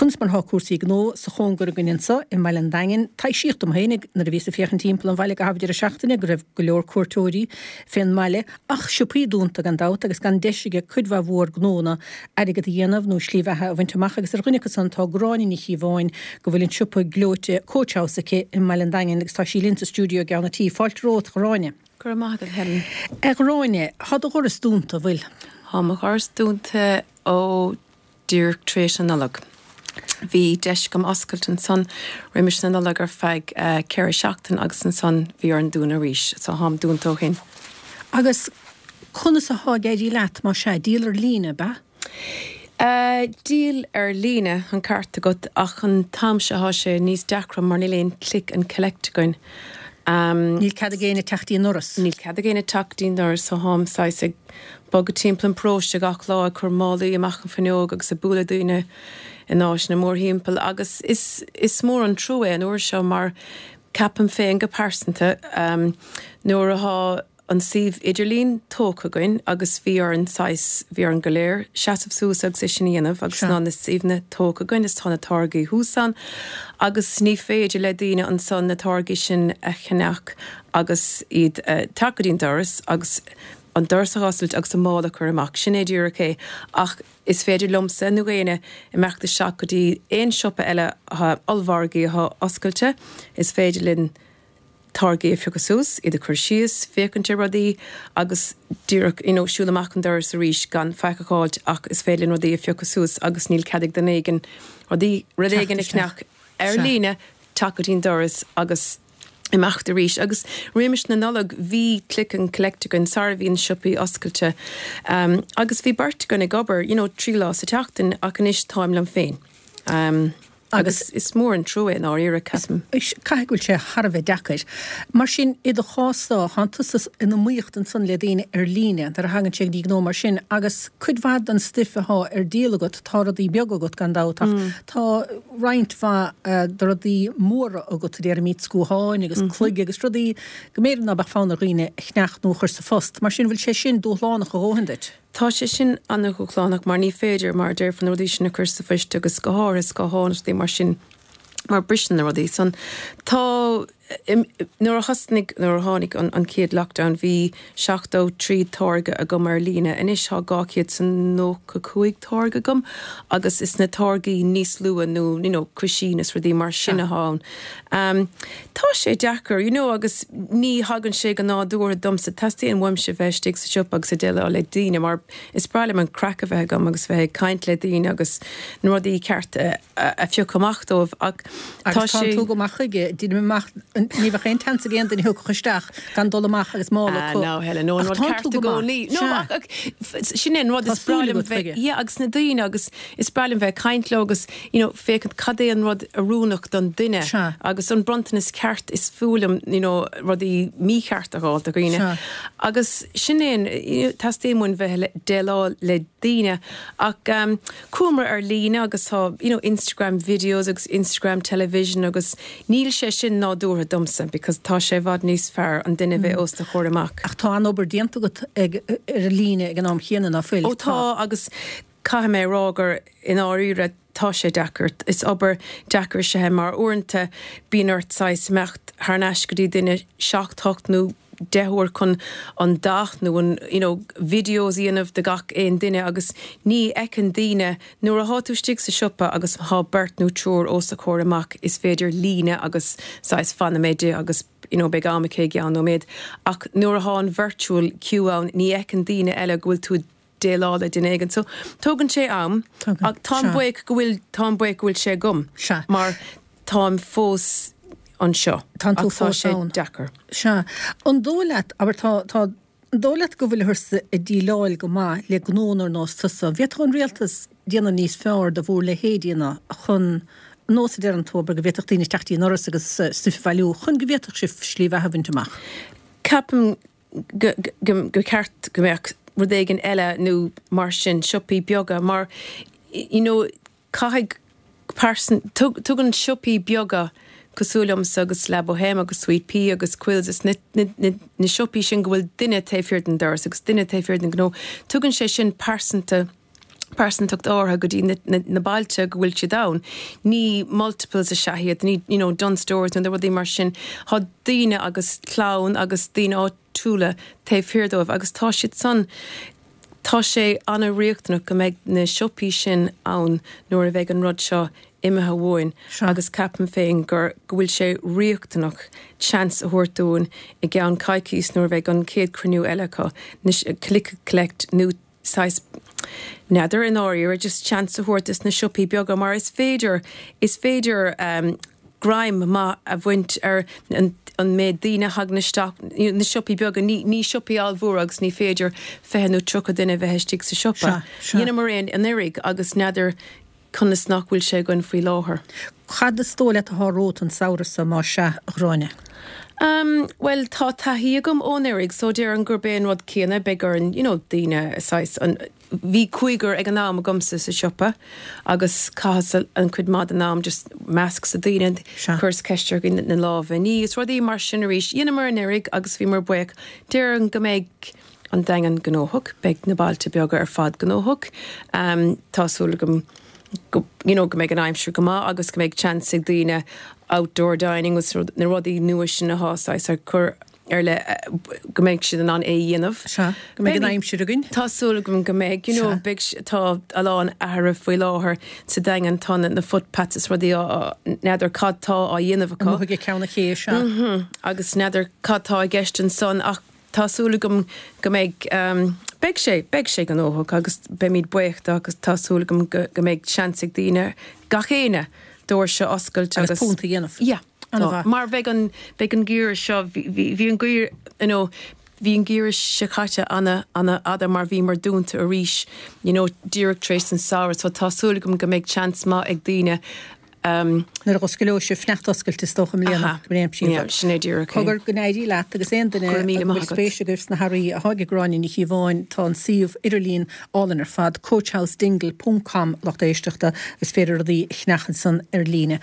Conas mar atá cúrsaí gnó sa chóngar againn anso i mbaile an Daingin? Taibhsíodh dom féinig nuair a bhíos ag féachaint timpeall an bhaile i gcaitheamh deireadh seachtaine go raibh go leor cuairteoirí fén mbaile ach siopaí dúnta gan dabht agus gan deis ag cuid mhaith mhór gnónna airgead a dhéanamh nó slí bheatha a bhaint amach agus ar dhuine acu san tá Gráinne Ní Chíobháin go bhfuil an siopa gleoite Coach House aici i mbaile an Daingin agus tá sí linn sa stiúideo i gceann an tí. Fáilte romhat, a Ghráinne. Go raibh maith agat, Helen. A Ghráinne, tá do dhoras dúnta, an bhfuil? Tá mo dhoras dúnta ó díreach tar éis na Nollag. Bhí deis agam oscailt ansan roimis na Nollag ar feadh 4 seachtain agus ansan bhí orainn dúnadh arís. So tháim dúnta ó shin. Agus conas athá ag éirí leat, más ea? Díol ar líne, ab ea? Díol ar líne, an ceart agat, ach an t-am seo thá sé níos deacra mar níl aon click and collect againn. Níl cead ag éinne teacht dtí an ndoras. Níl cead ag éinne teacht dtí an ndoras so tháim saghas ag bogadh timpeall an paróiste gach lá ag cur málaí amach an fuinneog agus ag bualadh daoine in áiteanna mórthimpeall agus is is mór an trua é an uair seo mar ceapaim féin go pearsanta nuair athá an suíomh idirlín tógtha againn agus bhí orainn saghas, bhí orainn go léir seasamh suas agus é sin a dhéanamh agus tá na suíomhanna tógtha againn is tá na táirgí thuas ann agus ní féidir le daoine ansan na táirgí sin a cheannach agus iad teacht go dtí an doras agus an doras a dh'oscailt agus an mála a chur amach. Sin é díreach é ach is féidir liomsa nó éinne imeacht isteach go dtí aon siopa eile atá, ollmhargaí atá oscailte, is féidir linn táirgí a phiocadh suas, iad a chur síos, féachaint ar rudaí agus díreach you know siúl amach an doras arís gan faic a dh'fháilt ach is féidir linn rudaí a phiocadh suas agus níl cead ag duine éigin rudaí, rud éigin a cheannach ar líne, teacht go dtí an doras agus imeacht arís. Agus roimis na Nollag bhí click and collect againn sara bhí na siopaí oscailte agus bhí beirt againn ag obair you know 3 lá sa tseachtain ach anois táim liom féin. Agus is mór an trua é i ndáiríre, ceapaim. Caithfidh go bhfuil sé thar a bheith deacair. Mar sin, i do chás-sa, tánn tusa in iomaíocht ansan le daoine ar líne, nuair a thagann sé go dtí gnó mar sin, agus cuid mhaith den stuif athá ar díol agat, tá rudaí beaga agat gan dabht, ach tá roinnt mhaith de rudaí móra agat, déarfaimid scuatháin agus cloig agus rudaí go mb'fhéidir ná beadh fonn ar dhaoine a cheannach nó a chur sa phost. Mar sin, bhfuil sé sin dúshlánach a dhóthain duit? Tá sé sin an-dhúshlánach mar ní féidir, mar a déarfá, na rudaí sin a chur sa phoist agus go háirithe scátháin is rudaí mar sin mar briseann na rudaí san. Tá, nuair a thosnaigh, nuair a tháinig an chéad lockdown bhí 73 táirge agam ar líne, anois tá 295 táirge agam agus is na táirgí níos lú nó you know cuisín is rudaí mar sin atá ann. Tá sé deacair, you know, agus ní thagann sé go nádúrtha domsa. Teastaíonn uaimse bheith istigh sa siopa agus ag déileáil le daoine mar is breá liom an craic a bheith agam agus bheith ag caint le daoine agus na rudaí cearta a phiocadh amach dóibh ach tá Agus tánn sé. tú go maith chuige, deinim amach, ní bheadh aon tseans ag aon duine a thiocfadh isteach gan dul amach agus mála acu. Ah, no, Helen, no, an Ach rud tánn ceart tú i go maith, gcónaí. No, sea. ach, ach sin é an rud, Tá is breá súil liom agat bheith, chuige. yeah, agus na daoine agus is breá liom bheith ag caint leo agus you know, féachaint cad é an rud oiriúnach don duine Sea. agus an bronntanas ceart is fuath liom you know, rudaí mícheart a dh'fháil do dhaoine. Sea. Agus sin é an, you know, teastaíonn uainn bheith le déileáil le daoine ach um, chuamar ar líne agus tá you know, Instagram videos agus Instagram television agus níl sé sin nádúrtha domsa because tá sé i bhfad níos fearr an duine bheith os do chomhair amach. Ach tá an-obair déanta agat ag, ar líne ag an am chéanna, ná fuil? Ó tá agus Caithfidh mé a rá gur i ndáiríre tá sé deacair. Is obair deacair is ea é mar uaireanta bíonn ort saghas imeacht thar n-ais go dtí duine seacht, hocht nó 10 uair chun an dath nó an you know videos a dhéanamh de gach aon duine agus ní fheiceann daoine nuair athá tú istigh sa siopa agus thá beirt nó triúr os do chomhair amach is féidir líne agus saghas fanfaidh mé di agus you know beidh am aici i gceann nóiméad ach nuair athá an virtual queue ann ní fheiceann daoine eile go bhfuil tú déileáil le duine éigin. So, tógann sé am Tógann, ach táim sea. buíoch go bhfuil, táim buíoch go bhfuil sé agam Sea. mar táim fós anseo Tánn tú ach tá fós sé ann. deacair. Sea. An dóigh leat, abair, tá, tá, an dóigh leat go bhfuilthearsa ag déileáil go maith le gnónna ar nós tusa? An bhféadfadh an rialtas déanamh níos fearr de bhur leithéidí ná chun, nós a deireann tú, abair, go bhféadfadh daoine teacht dtí an ndoras agus stuif a bhailiú, chun go bhféadfadh sibh slí bheatha a bhaint amach? Ceapaim go ceart go mbeadh rud éigin eile nó mar sin, siopaí beaga mar you know caithfidh pearsan, tugann siopaí beaga cosúil liomsa agus La Bohème agus Sweet Pea agus Quills is na na siopaí sin go bhfuil duine taobh thiar den doras agus duine taobh thiar den ghnó, tugann sé sin pearsanta. pearsantacht áirithe go dtí na bailte go bhfuil siad ann. Ní multiples is ea iad, ní you know Dunnes Stores nó rudaí mar sin. Tá daoine agus clann agus daoine áitiúla taobh thiar dóibh agus tá siad san, tá sé an-riachtanach go mbeidh na siopaí sin ann nuair a bheidh an rud seo imithe uainn agus ceapaim féin gur, go bhfuil sé riachtanach seans a thabhairt dúinn i gceann coicís nuair a bheidh an chéad cruinniú eile acu, na click collect nó saghas, n'fheadar i ndáiríre, just seans a thabhairt dos na siopaí beaga mar is féidir, is féidir greim maith a bhaint ar an méid daoine a thagann isteach, na siopaí beaga, ní, ní siopaí ollmhóra agus ní féidir 20 nó 30 duine a bheith istigh sa siopa. Dheineamar é anuraidh agus n'fheadar conas nach bhfuil sé againn faoi láthair. Cad is dóigh leat atá romhat an samhradh seo, más ea, a Ghráinne? Umm, bhuel, tá taithí agam ó anuraidh so déarfainn gurb é an rud céanna, beidh orainn, you know, daoine, saghas, an, bhí cúigear ag an am agamsa sa siopa agus chaitheas an cuid maith den am just masks ar daoine, chuireas ceist orthu na lámha a ní is rudaí mar sin arís. Dheineamar anuraidh agus bhíomar buíoch. Déarfainn go mbeidh an Daingean gnóthach, beidh na bailte beaga ar fad gnóthach. Tá súil agam go, you know, go mbeidh an aimsir go maith agus go mbeidh chance ag daoine outdoor dining agus na rudaí nua sin atá saghas ar cur ar le go mbeidh siad in ann é a dhéanamh. Sea, go mbeidh an aimsir againn. Tá súil agam go mbeidh, you know, beidh, tá a lán athruithe faoi láthair sa Daingean, tá na footpaths is rudaí á, n'fheadar cad tá á dhéanamh acu. Amuigh ag Ceann an Ché, sea. Agus n'fheadar cad tá i gceist ansan ach Tá súil agam go mbeidh, beidh sé, beidh sé gnóthach agus beimid buíoch de agus tá súil agam go, go mbeidh seans ag daoine, gach éinne, doirse a oscailt agus. Agus punt a dhéanamh. Yeah. An-mhaith. Mar bheidh an, beidh an geimhreadh seo, bhí, bhí, bhí an geimhreadh, you know, bhí an geimhreadh seo caite ana, ana fhada mar bhíomar dúnta arís, you know, díreach tar éis an samhradh so tá súil agam go mbeidh seans maith ag daoine Nuair a osclóidh sibh fanacht oscailte is dócha i mbliana, go mbeidh aimsir mhaith. Sin é díreach é. Cogar, go n-éirí leat agus aon duine a bhfuil spéis agaibh sna hearraí atá ag Gráinne Ní Chíobháin, tá an suíomh idirlín álainn ar fad, coachhousedingle ponc com lucht éisteachta, is féidir rudaí a cheannach ansan ar líne.